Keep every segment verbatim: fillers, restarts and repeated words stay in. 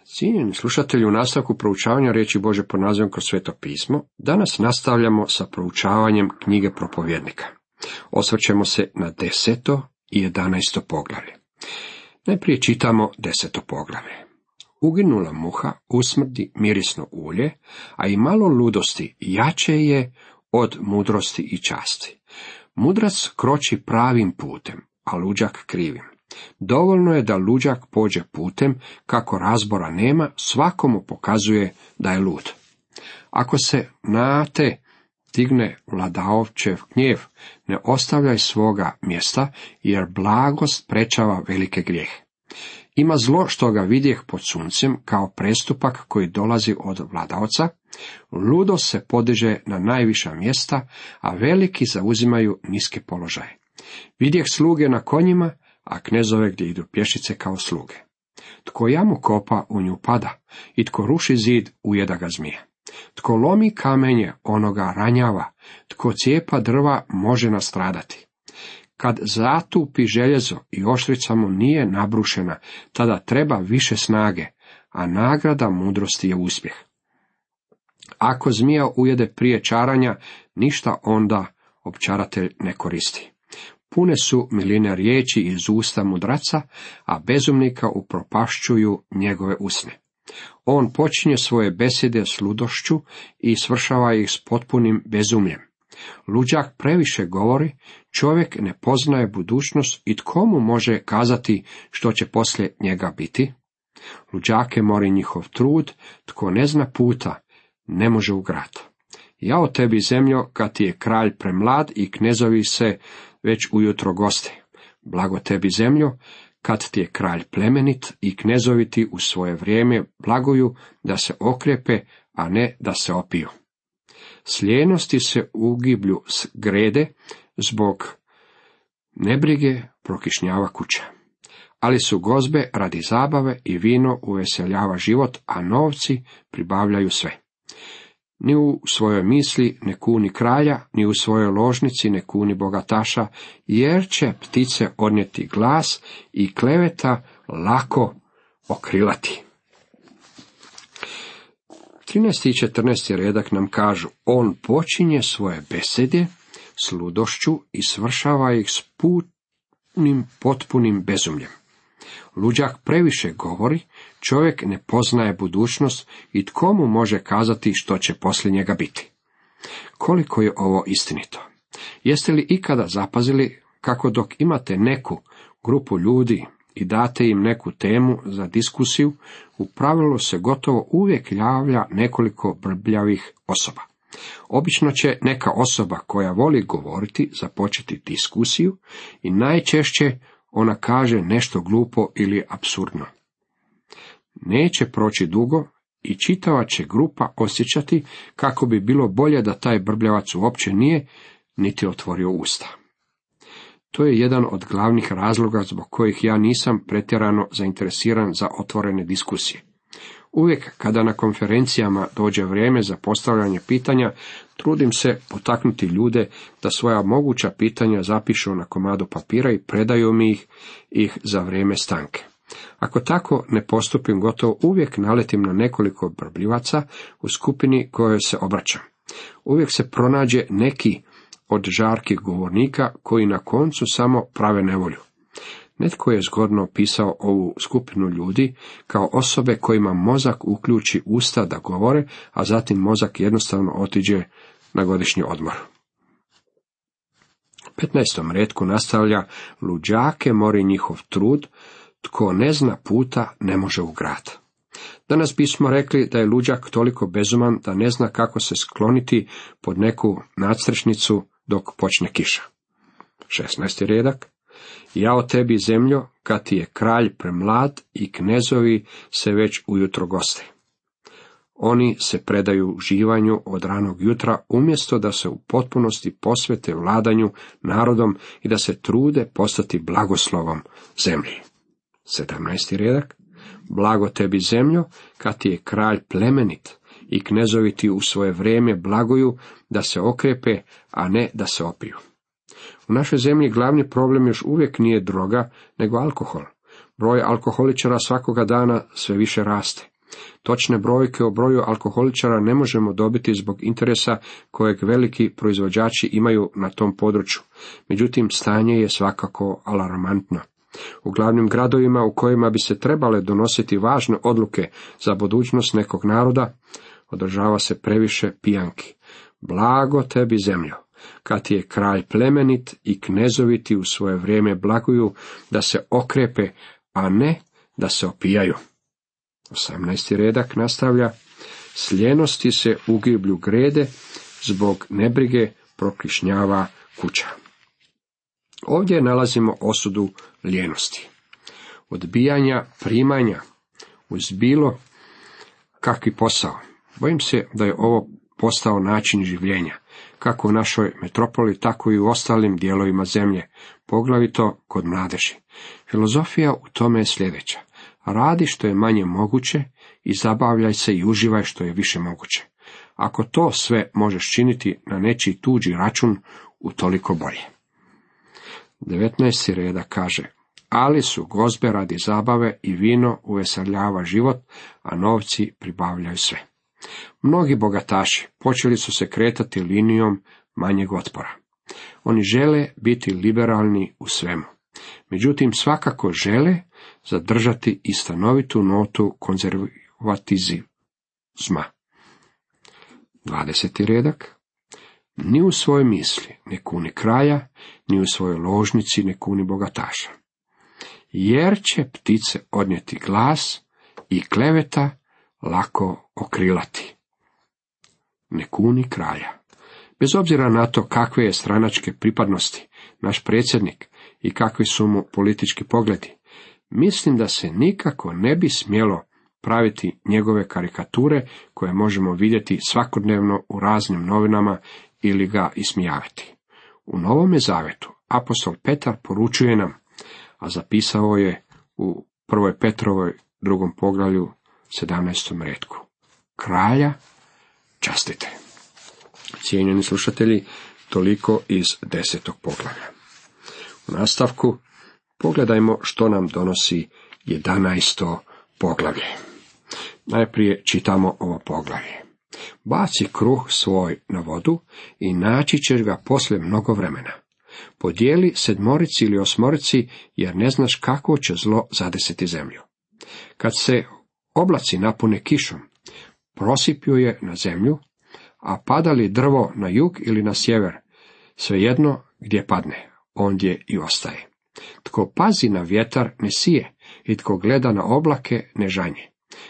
Cijenjeni slušatelji, u nastavku proučavanja riječi Božje pod nazivom Kroz sveto pismo, danas nastavljamo sa proučavanjem knjige Propovjednika. Osvrćemo se na deseto i jedanaesto poglavlje. Najprije čitamo deseto poglavlje. Uginula muha usmrdi mirisno ulje, a i malo ludosti jače je od mudrosti i časti. Mudrac kroči pravim putem, a luđak krivim. Dovoljno je da luđak pođe putem, kako razbora nema, svakomu pokazuje da je lud. Ako se na te digne vladaočev gnjev, ne ostavljaj svoga mjesta, jer blagost prečava velike grijehe. Ima zlo što ga vidjeh pod suncem, kao prestupak koji dolazi od vladaoca, ludo se podiže na najviša mjesta, a veliki zauzimaju niske položaje. Vidjeh sluge na konjima, a knezove gdje idu pješice kao sluge. Tko jamu kopa, u nju pada, i tko ruši zid, ujeda ga zmija. Tko lomi kamenje, onoga ranjava, tko cijepa drva, može nastradati. Kad zatupi željezo i oštrica mu nije nabrušena, tada treba više snage, a nagrada mudrosti je uspjeh. Ako zmija ujede prije čaranja, ništa onda opčaratelj ne koristi. Pune su miline riječi iz usta mudraca, a bezumnika upropašćuju njegove usne. On počinje svoje besede s ludošću i svršava ih s potpunim bezumljem. Luđak previše govori, čovjek ne poznaje budućnost i tko mu može kazati što će poslije njega biti? Luđake mori njihov trud, tko ne zna puta, ne može u grad. Jao tebi zemljo, kad ti je kralj premlad i knezovi se već ujutro goste. Blago tebi zemljo, kad ti je kralj plemenit i knezovi ti u svoje vrijeme blaguju da se okrepe, a ne da se opiju. Slijenosti se ugiblju s grede, zbog nebrige prokišnjava kuća. Ali su gozbe radi zabave i vino uveseljava život, a novci pribavljaju sve. Ni u svojoj misli ne kuni kralja, ni u svojoj ložnici ne kuni bogataša, jer će ptice odnijeti glas i kleveta lako okrilati. trinaesti i četrnaesti redak nam kažu, on počinje svoje besede s ludošću i svršava ih s punim, potpunim bezumljem. Luđak previše govori, čovjek ne poznaje budućnost i tko mu može kazati što će poslije njega biti. Koliko je ovo istinito? Jeste li ikada zapazili kako dok imate neku grupu ljudi i date im neku temu za diskusiju, u pravilu se gotovo uvijek javlja nekoliko brbljavih osoba. Obično će neka osoba koja voli govoriti započeti diskusiju i najčešće ona kaže nešto glupo ili apsurdno. Neće proći dugo i čitava će grupa osjećati kako bi bilo bolje da taj brbljavac uopće nije niti otvorio usta. To je jedan od glavnih razloga zbog kojih ja nisam pretjerano zainteresiran za otvorene diskusije. Uvijek kada na konferencijama dođe vrijeme za postavljanje pitanja, trudim se potaknuti ljude da svoja moguća pitanja zapišu na komadu papira i predaju mi ih, ih za vrijeme stanke. Ako tako ne postupim, gotovo uvijek naletim na nekoliko brbljivaca u skupini kojoj se obraćam. Uvijek se pronađe neki od žarkih govornika koji na koncu samo prave nevolju. Netko je zgodno opisao ovu skupinu ljudi kao osobe kojima mozak uključi usta da govore, a zatim mozak jednostavno otiđe na godišnji odmor. U petnaestom retku nastavlja, luđake mori njihov trud, tko ne zna puta ne može u grad. Danas bismo rekli da je luđak toliko bezuman da ne zna kako se skloniti pod neku nadstrešnicu dok počne kiša. šesnaesti redak. Jao tebi zemljo, kad ti je kralj premlad i knezovi se već ujutro goste. Oni se predaju uživanju od ranog jutra, umjesto da se u potpunosti posvete vladanju narodom i da se trude postati blagoslovom zemlji. sedamnaesti redak. Blago tebi zemljo, kad ti je kralj plemenit i knezovi ti u svoje vrijeme blaguju da se okrepe, a ne da se opiju. U našoj zemlji glavni problem još uvijek nije droga, nego alkohol. Broj alkoholičara svakoga dana sve više raste. Točne brojke o broju alkoholičara ne možemo dobiti zbog interesa kojeg veliki proizvođači imaju na tom području. Međutim, stanje je svakako alarmantno. U glavnim gradovima u kojima bi se trebale donositi važne odluke za budućnost nekog naroda, održava se previše pijanki. Blago tebi zemljo, kad ti je kralj plemenit i knezoviti u svoje vrijeme blaguju da se okrepe, a ne da se opijaju. osamnaesti redak nastavlja, s ljenosti se u giblju grede, zbog nebrige prokišnjava kuća. Ovdje nalazimo osudu ljenosti, odbijanja primanja uz bilo kakvi posao. Bojim se da je ovo postao način življenja, kako u našoj metropoli, tako i u ostalim dijelovima zemlje, poglavito kod mladeži. Filozofija u tome je sljedeća: radi što je manje moguće i zabavljaj se i uživaj što je više moguće. Ako to sve možeš činiti na nečiji tuđi račun, utoliko bolje. devetnaesti reda kaže: ali su gozbe radi zabave i vino uveseljava život, a novci pribavljaju sve. Mnogi bogataši počeli su se kretati linijom manjeg otpora. Oni žele biti liberalni u svemu. Međutim, svakako žele zadržati i stanovitu notu konzervatizma. dvadeseti redak. Ni u svojoj misli ne kuni kralja, ni u svojoj ložnici ne kuni bogataša. Jer će ptice odnijeti glas i kleveta lako okrilati. Ne kuni kralja. Bez obzira na to kakve je stranačke pripadnosti naš predsjednik i kakvi su mu politički pogledi, mislim da se nikako ne bi smjelo praviti njegove karikature koje možemo vidjeti svakodnevno u raznim novinama ili ga ismijavati. U Novome Zavetu apostol Petar poručuje nam, a zapisao je u prvoj Petrovoj drugom poglavlju sedamnaestom retku: kralja častite. Cijenjeni slušatelji, toliko iz desetog poglavlja. U nastavku pogledajmo što nam donosi jedanaesto poglavlje. Najprije čitamo ovo poglavlje. Baci kruh svoj na vodu i naći ćeš ga poslije mnogo vremena. Podijeli sedmorici ili osmorici, jer ne znaš kako će zlo zadesiti zemlju. Kad se oblaci napune kišom, prosipju je na zemlju, a pada li drvo na jug ili na sjever, svejedno gdje padne, ondje i ostaje. Tko pazi na vjetar ne sije, i tko gleda na oblake ne žanje.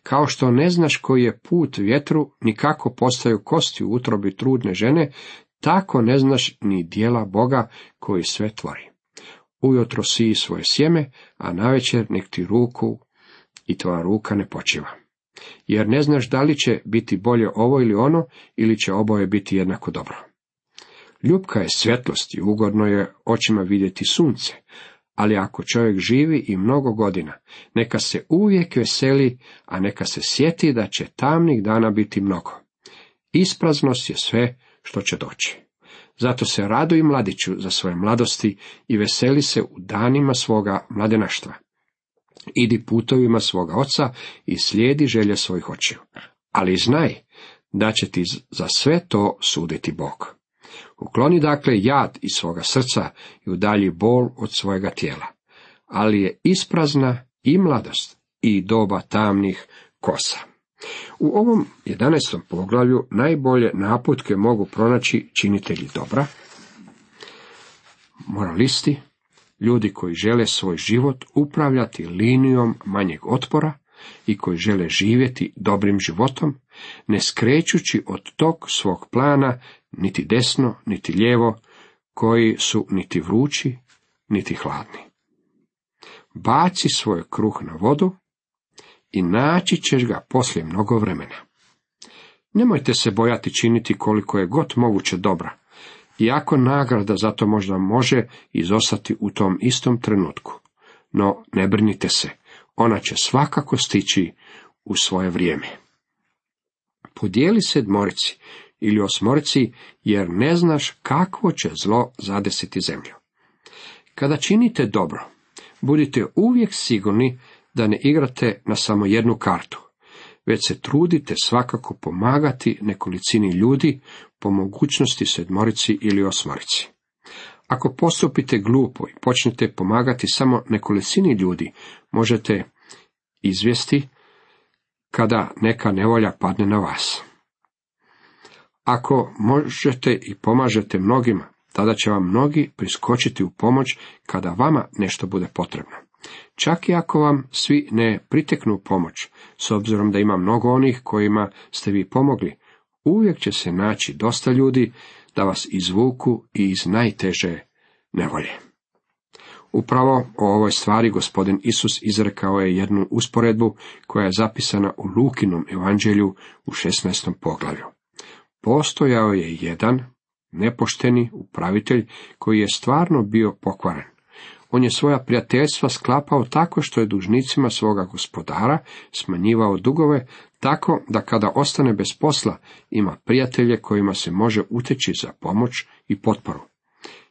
Kao što ne znaš koji je put vjetru, ni kako postaju kosti u utrobi trudne žene, tako ne znaš ni djela Boga koji sve tvori. Ujutro siji svoje sjeme, a navečer nek ti ruku i tvoja ruka ne počiva. Jer ne znaš da li će biti bolje ovo ili ono, ili će oboje biti jednako dobro. Ljubka je svjetlost i ugodno je očima vidjeti sunce, ali ako čovjek živi i mnogo godina, neka se uvijek veseli, a neka se sjeti da će tamnih dana biti mnogo. Ispraznost je sve što će doći. Zato se raduj mladiću za svoje mladosti i veseli se u danima svoga mladenaštva. Idi putovima svoga oca i slijedi želje svojih očiju. Ali znaj da će ti za sve to suditi Bog. Ukloni dakle jad iz svoga srca i udalji bol od svojega tijela. Ali je isprazna i mladost i doba tamnih kosa. U ovom jedanaestom poglavlju najbolje naputke mogu pronaći činitelji dobra, moralisti, ljudi koji žele svoj život upravljati linijom manjeg otpora i koji žele živjeti dobrim životom, ne skrećući od tog svog plana niti desno, niti lijevo, koji su niti vrući, niti hladni. Baci svoj kruh na vodu i naći ćeš ga poslije mnogo vremena. Nemojte se bojati činiti koliko je god moguće dobra, iako nagrada za to možda može izostati u tom istom trenutku. No ne brinite se, ona će svakako stići u svoje vrijeme. Podijeli sedmorici ili osmorici, jer ne znaš kakvo će zlo zadesiti zemlju. Kada činite dobro, budite uvijek sigurni da ne igrate na samo jednu kartu, već se trudite svakako pomagati nekolicini ljudi, po mogućnosti sedmorici ili osmorici. Ako postupite glupo i počnete pomagati samo nekolicini ljudi, možete izvesti kada neka nevolja padne na vas. Ako možete i pomažete mnogima, tada će vam mnogi priskočiti u pomoć kada vama nešto bude potrebno. Čak i ako vam svi ne priteknu u pomoć, s obzirom da ima mnogo onih kojima ste vi pomogli, uvijek će se naći dosta ljudi da vas izvuku i iz najteže nevolje. Upravo o ovoj stvari gospodin Isus izrekao je jednu usporedbu koja je zapisana u Lukinom evanđelju u šesnaestom poglavlju. Postojao je jedan nepošteni upravitelj koji je stvarno bio pokvaren. On je svoja prijateljstva sklapao tako što je dužnicima svoga gospodara smanjivao dugove, tako da kada ostane bez posla ima prijatelje kojima se može uteći za pomoć i potporu.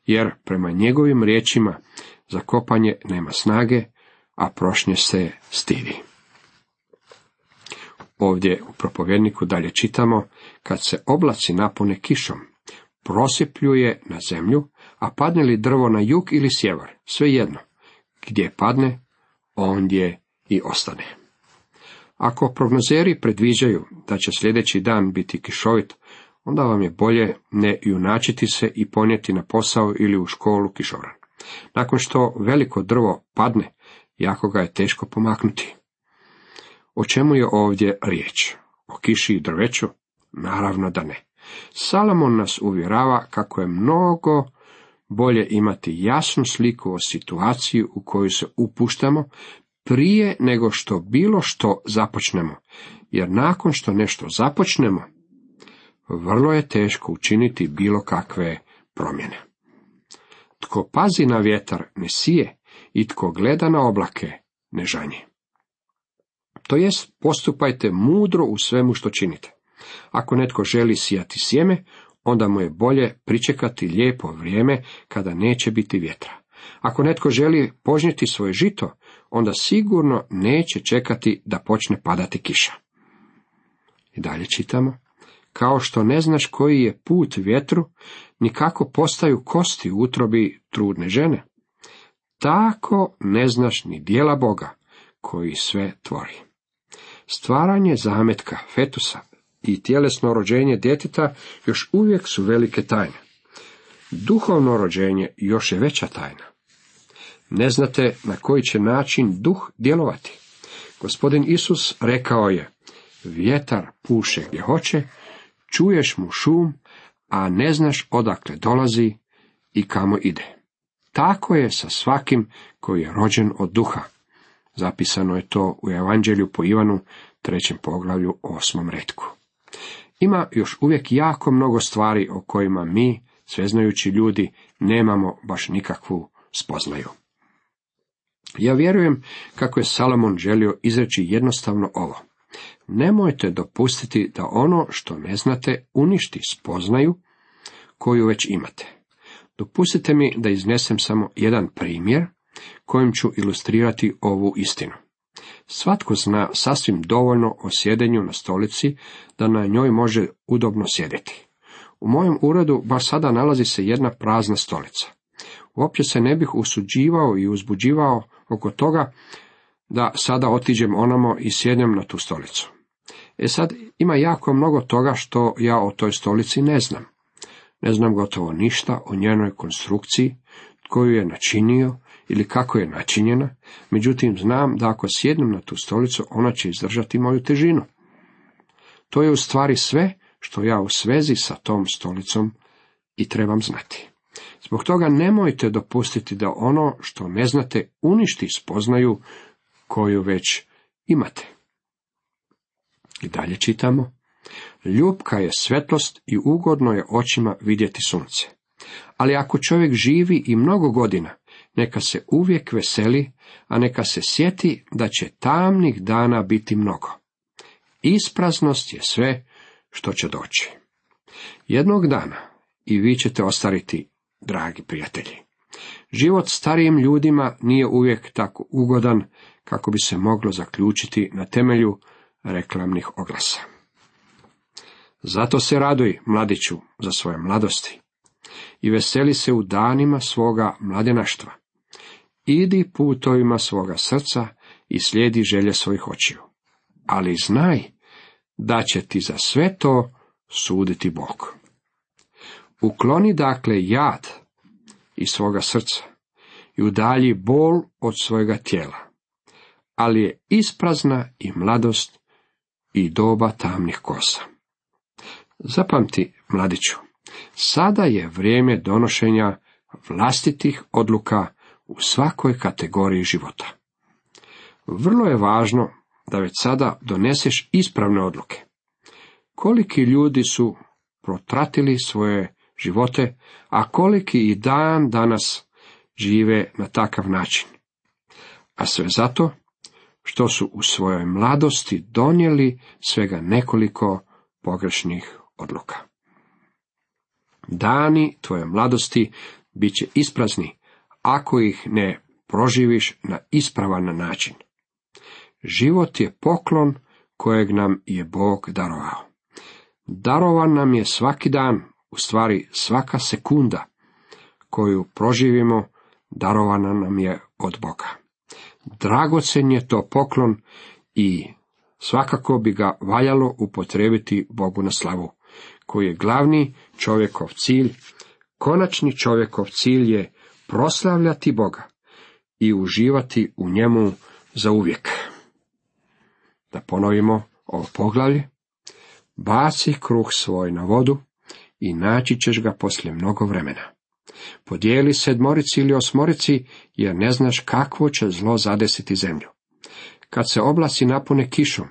Jer prema njegovim riječima za kopanje nema snage, a prošnje se stidi. Ovdje u propovjedniku dalje čitamo, kad se oblaci napune kišom, prosipljuje na zemlju, a padne li drvo na jug ili sjever, svejedno, gdje padne, ondje i ostane. Ako prognozeri predviđaju da će sljedeći dan biti kišovit, onda vam je bolje ne junačiti se i ponijeti na posao ili u školu kišobran. Nakon što veliko drvo padne, jako ga je teško pomaknuti. O čemu je ovdje riječ? O kiši i drveću? Naravno da ne. Salomon nas uvjerava kako je mnogo bolje imati jasnu sliku o situaciji u koju se upuštamo prije nego što bilo što započnemo, jer nakon što nešto započnemo, vrlo je teško učiniti bilo kakve promjene. Tko pazi na vjetar ne sije i tko gleda na oblake ne žanje. To jest, postupajte mudro u svemu što činite. Ako netko želi sijati sjeme, onda mu je bolje pričekati lijepo vrijeme kada neće biti vjetra. Ako netko želi požnjeti svoje žito, onda sigurno neće čekati da počne padati kiša. I dalje čitamo, kao što ne znaš koji je put vjetru, ni kako postaju kosti u utrobi trudne žene, tako ne znaš ni djela Boga koji sve tvori. Stvaranje zametka, fetusa i tjelesno rođenje djeteta još uvijek su velike tajne. Duhovno rođenje još je veća tajna. Ne znate na koji će način duh djelovati. Gospodin Isus rekao je, vjetar puše gdje hoće, čuješ mu šum, a ne znaš odakle dolazi i kamo ide. Tako je sa svakim koji je rođen od duha. Zapisano je to u Evanđelju po Ivanu, trećem poglavlju, osmom retku. Ima još uvijek jako mnogo stvari o kojima mi, sveznajući ljudi, nemamo baš nikakvu spoznaju. Ja vjerujem kako je Salomon želio izreći jednostavno ovo. Nemojte dopustiti da ono što ne znate uništi spoznaju koju već imate. Dopustite mi da iznesem samo jedan primjer kojim ću ilustrirati ovu istinu. Svatko zna sasvim dovoljno o sjedenju na stolici da na njoj može udobno sjediti. U mojem uredu baš sada nalazi se jedna prazna stolica. Uopće se ne bih usuđivao i uzbuđivao oko toga da sada otiđem onamo i sjednem na tu stolicu. E sad, ima jako mnogo toga što ja o toj stolici ne znam. Ne znam gotovo ništa o njenoj konstrukciji, tko ju je načinio ili kako je načinjena, međutim znam da ako sjednem na tu stolicu, ona će izdržati moju težinu. To je u stvari sve što ja u svezi sa tom stolicom i trebam znati. Zbog toga nemojte dopustiti da ono što ne znate uništi spoznaju koju već imate. I dalje čitamo, ljubka je svetlost i ugodno je očima vidjeti sunce. Ali ako čovjek živi i mnogo godina, neka se uvijek veseli, a neka se sjeti da će tamnih dana biti mnogo. Ispraznost je sve što će doći. Jednog dana i vi ćete ostariti, dragi prijatelji. Život starijim ljudima nije uvijek tako ugodan kako bi se moglo zaključiti na temelju reklamnih oglasa. Zato se raduj, mladiću, za svoje mladosti i veseli se u danima svoga mladenaštva. Idi putovima svoga srca i slijedi želje svojih očiju. Ali znaj da će ti za sve to suditi Bog. Ukloni dakle jad iz svoga srca i udalji bol od svojega tijela, ali je isprazna i mladost i doba tamnih kosa. Zapamti, mladiću, sada je vrijeme donošenja vlastitih odluka u svakoj kategoriji života. Vrlo je važno da već sada doneseš ispravne odluke. Koliki ljudi su protratili svoje živote, a koliki i dan danas žive na takav način. A sve zato što su u svojoj mladosti donijeli svega nekoliko pogrešnih odluka. Dani tvoje mladosti bit će isprazni ako ih ne proživiš na ispravan način. Život je poklon kojeg nam je Bog darovao. Darovan nam je svaki dan, u stvari svaka sekunda koju proživimo, darovana nam je od Boga. Dragocen je to poklon i svakako bi ga valjalo upotrijebiti Bogu na slavu, koji je glavni čovjekov cilj. Konačni čovjekov cilj je proslavljati Boga i uživati u njemu zauvijek. Da ponovimo ovo poglavlje. Baci kruh svoj na vodu i naći ćeš ga poslije mnogo vremena. Podijeli sedmorici ili osmorici, jer ne znaš kakvo će zlo zadesiti zemlju. Kad se oblasi napune kišom,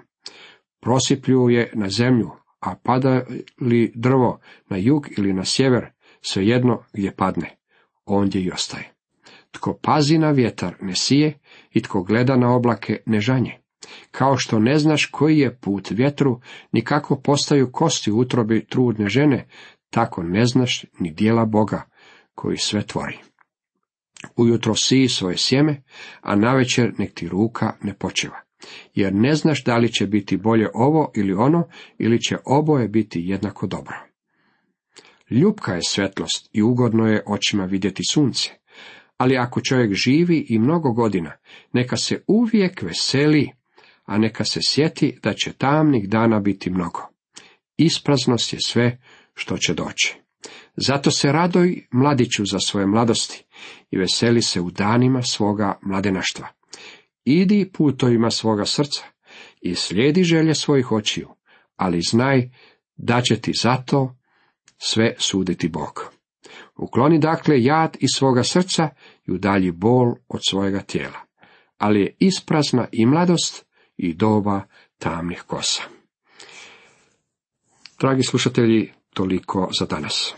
prosiplju je na zemlju, a pada li drvo na jug ili na sjever, svejedno gdje padne, ondje i ostaje. Tko pazi na vjetar ne sije i tko gleda na oblake ne žanje. Kao što ne znaš koji je put vjetru, ni kako postaju kosti u utrobi trudne žene, tako ne znaš ni djela Boga koji sve tvori. Ujutro siji svoje sjeme, a navečer nek ti ruka ne počeva, jer ne znaš da li će biti bolje ovo ili ono, ili će oboje biti jednako dobro. Ljupka je svetlost i ugodno je očima vidjeti sunce, ali ako čovjek živi i mnogo godina, neka se uvijek veseli, a neka se sjeti da će tamnih dana biti mnogo. Ispraznost je sve što će doći. Zato se radoj, mladiću, za svoje mladosti i veseli se u danima svoga mladenaštva. Idi putovima svoga srca i slijedi želje svojih očiju, ali znaj da će ti zato sve suditi Bog. Ukloni dakle jad iz svoga srca i udalji bol od svojega tijela, ali je isprazna i mladost i doba tamnih kosa. Dragi slušatelji, toliko za danas.